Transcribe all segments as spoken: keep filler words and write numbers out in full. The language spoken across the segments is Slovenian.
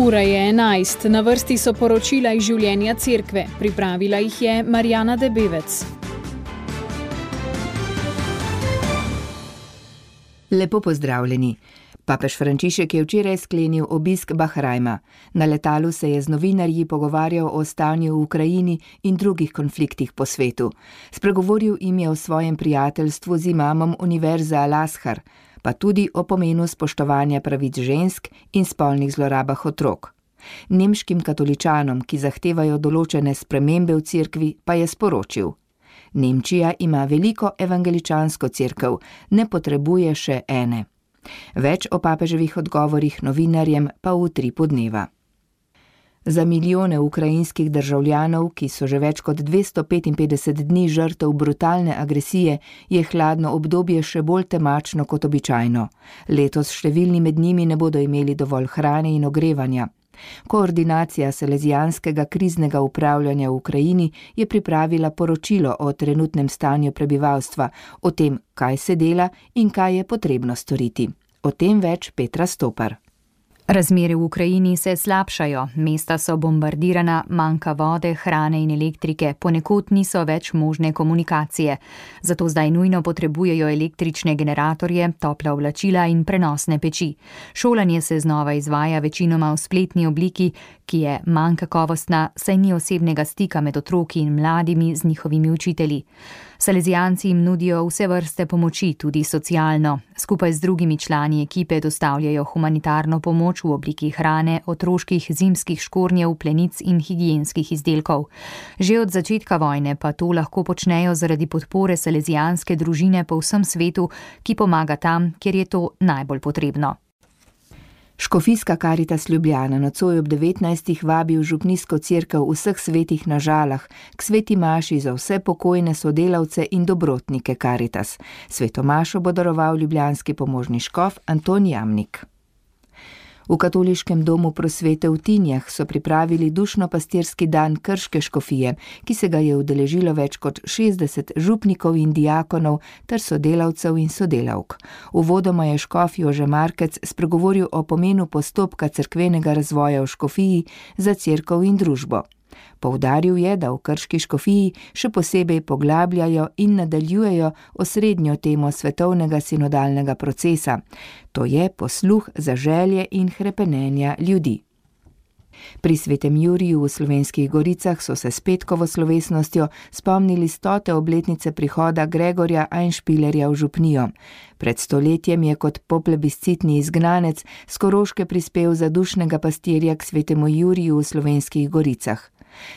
Ura je enajst, na vrsti so poročila iz življenja cerkve. Pripravila jih je Marjana Debevec. Lepo pozdravljeni. Papež Frančišek je včeraj sklenil obisk Bahrajna. Na letalu se je z novinarji pogovarjal o stanju v Ukrajini in drugih konfliktih po svetu. Spregovoril jim je o svojem prijateljstvu z imamom Univerze Al-Azhar, pa tudi o pomenu spoštovanja pravic žensk in spolnih zlorabah otrok. Nemškim katoličanom, ki zahtevajo določene spremembe v cerkvi, pa je sporočil: Nemčija ima veliko evangeličansko cerkev, ne potrebuje še ene. Več o papeževih odgovorih novinarjem pa v utripu dneva. Za milijone ukrajinskih državljanov, ki so že več kot dvesto petinpetdeset dni žrtev brutalne agresije, je hladno obdobje še bolj temačno kot običajno. Letos številni med njimi ne bodo imeli dovolj hrane in ogrevanja. Koordinacija Salezijanskega kriznega upravljanja v Ukrajini je pripravila poročilo o trenutnem stanju prebivalstva, o tem, kaj se dela in kaj je potrebno storiti. O tem več Petra Stopar. Razmere v Ukrajini se slabšajo, mesta so bombardirana, manjka vode, hrane in elektrike, ponekod niso več možne komunikacije. Zato zdaj nujno potrebujejo električne generatorje, topla oblačila in prenosne peči. Šolanje se znova izvaja večinoma v spletni obliki, ki je manj kakovostna, saj ni osebnega stika med otroki in mladimi z njihovimi učitelji. Salezijanci jim nudijo vse vrste pomoči, tudi socialno. Skupaj z drugimi člani ekipe dostavljajo humanitarno pomoč v obliki hrane, otroških zimskih škornjev, plenic in higienskih izdelkov. Že od začetka vojne pa to lahko počnejo zaradi podpore salezijanske družine po vsem svetu, ki pomaga tam, kjer je to najbolj potrebno. Škofijska Karitas Ljubljana nocoj ob devetnajstih vabi v župnijsko cerkev Vseh svetih na Žalah k sveti maši za vse pokojne sodelavce in dobrotnike Karitas. Sveto mašo bo daroval ljubljanski pomožni škof Anton Jamnik. V katoliškem domu Prosvete v Tinjah so pripravili dušno-pastirski dan Krške škofije, ki se ga je udeležilo več kot šestdeset župnikov in diakonov ter sodelavcev in sodelavk. Uvodoma je škof Jože Markec spregovoril o pomenu postopka cerkvenega razvoja v škofiji za cerkev in družbo. Poudaril je, da v Krški škofiji še posebej poglabljajo in nadaljujejo osrednjo temo svetovnega sinodalnega procesa, to je posluh za želje in hrepenenja ljudi. Pri svetem Juriju v Slovenskih Goricah so se s petkovo slovesnostjo spomnili stote obletnice prihoda Gregorja Einspielerja v župnijo. Pred stoletjem je kot poplebiscitni izgnanec s Koroške prispel za dušnega pastirja k svetemu Juriju v Slovenskih Goricah.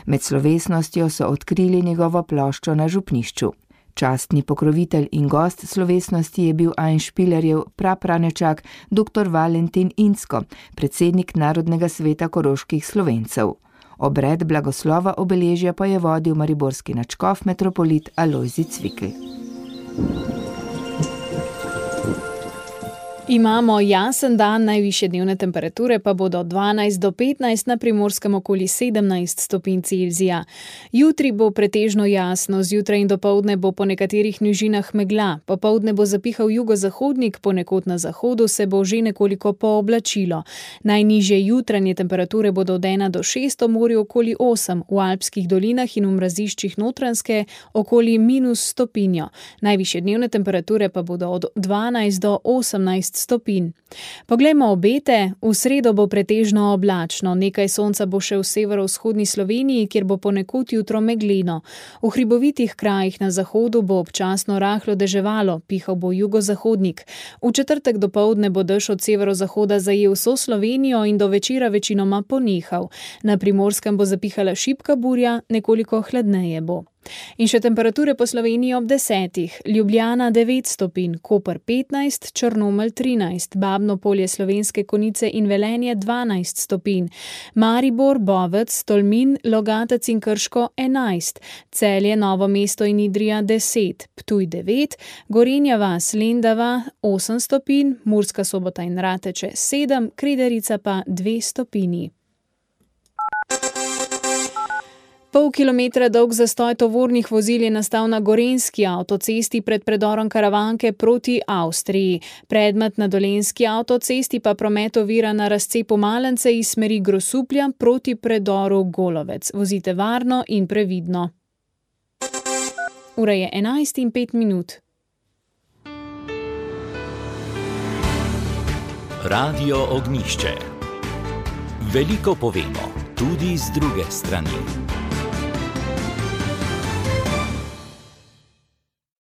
Med slovesnostjo so odkrili njegovo ploščo na župnišču. Častni pokrovitelj in gost slovesnosti je bil Einspielerjev prapranečak dr. Valentin Incko, predsednik Narodnega sveta koroških Slovencev. Obred blagoslova obeležja pa je vodil mariborski nadškof metropolit Alojzij Cvikl. Imamo jasen dan, najvišje dnevne temperature pa bodo od dvanajst do petnajst, na Primorskem okoli sedemnajst stopinj Celzija. Jutri bo pretežno jasno, zjutraj in dopoldne bo po nekaterih nižinah megla, popoldne bo zapihal jugozahodnik, ponekod na zahodu se bo že nekoliko pooblačilo. Najnižje jutranje temperature bodo od ena do šest, v morju okoli osem, v alpskih dolinah in v mraziščih Notranjske okoli minus stopinjo. Najvišje dnevne temperature pa bodo od dvanajst do osemnajst stopinj. Poglejmo obete. V sredo bo pretežno oblačno, nekaj sonca bo še v severovzhodni Sloveniji, kjer bo ponekod jutro megleno. V hribovitih krajih na zahodu bo občasno rahlo deževalo, pihal bo jugozahodnik. V četrtek dopoldne bo dež od severozahoda zajel vso Slovenijo in do večera večinoma ponehal. Na Primorskem bo zapihala šibka burja, nekoliko hladneje bo. In še temperature po Sloveniji ob desetih. Ljubljana devet stopinj, Koper petnajst, Črnomelj trinajst, Babno Polje, Slovenske Konjice in Velenje dvanajst stopinj, Maribor, Bovec, Tolmin, Logatec in Krško enajst, Celje, Novo mesto in Idrija deset, Ptuj devet, Gorenja vas, Lendava osem stopinj, Murska Sobota in Rateče sedem, Kredarica pa dve stopinji. Pol kilometra dolg zastoj tovornih vozil je nastal na gorenjski avtocesti pred predorom Karavanke proti Avstriji. Predmet na dolenjski avtocesti pa promet ovira na razcepu Malence iz smeri Grosuplja proti predoru Golovec. Vozite varno in previdno. Ura je enajst in pet minut. Radio Ognjišče. Veliko povemo, tudi z druge strani.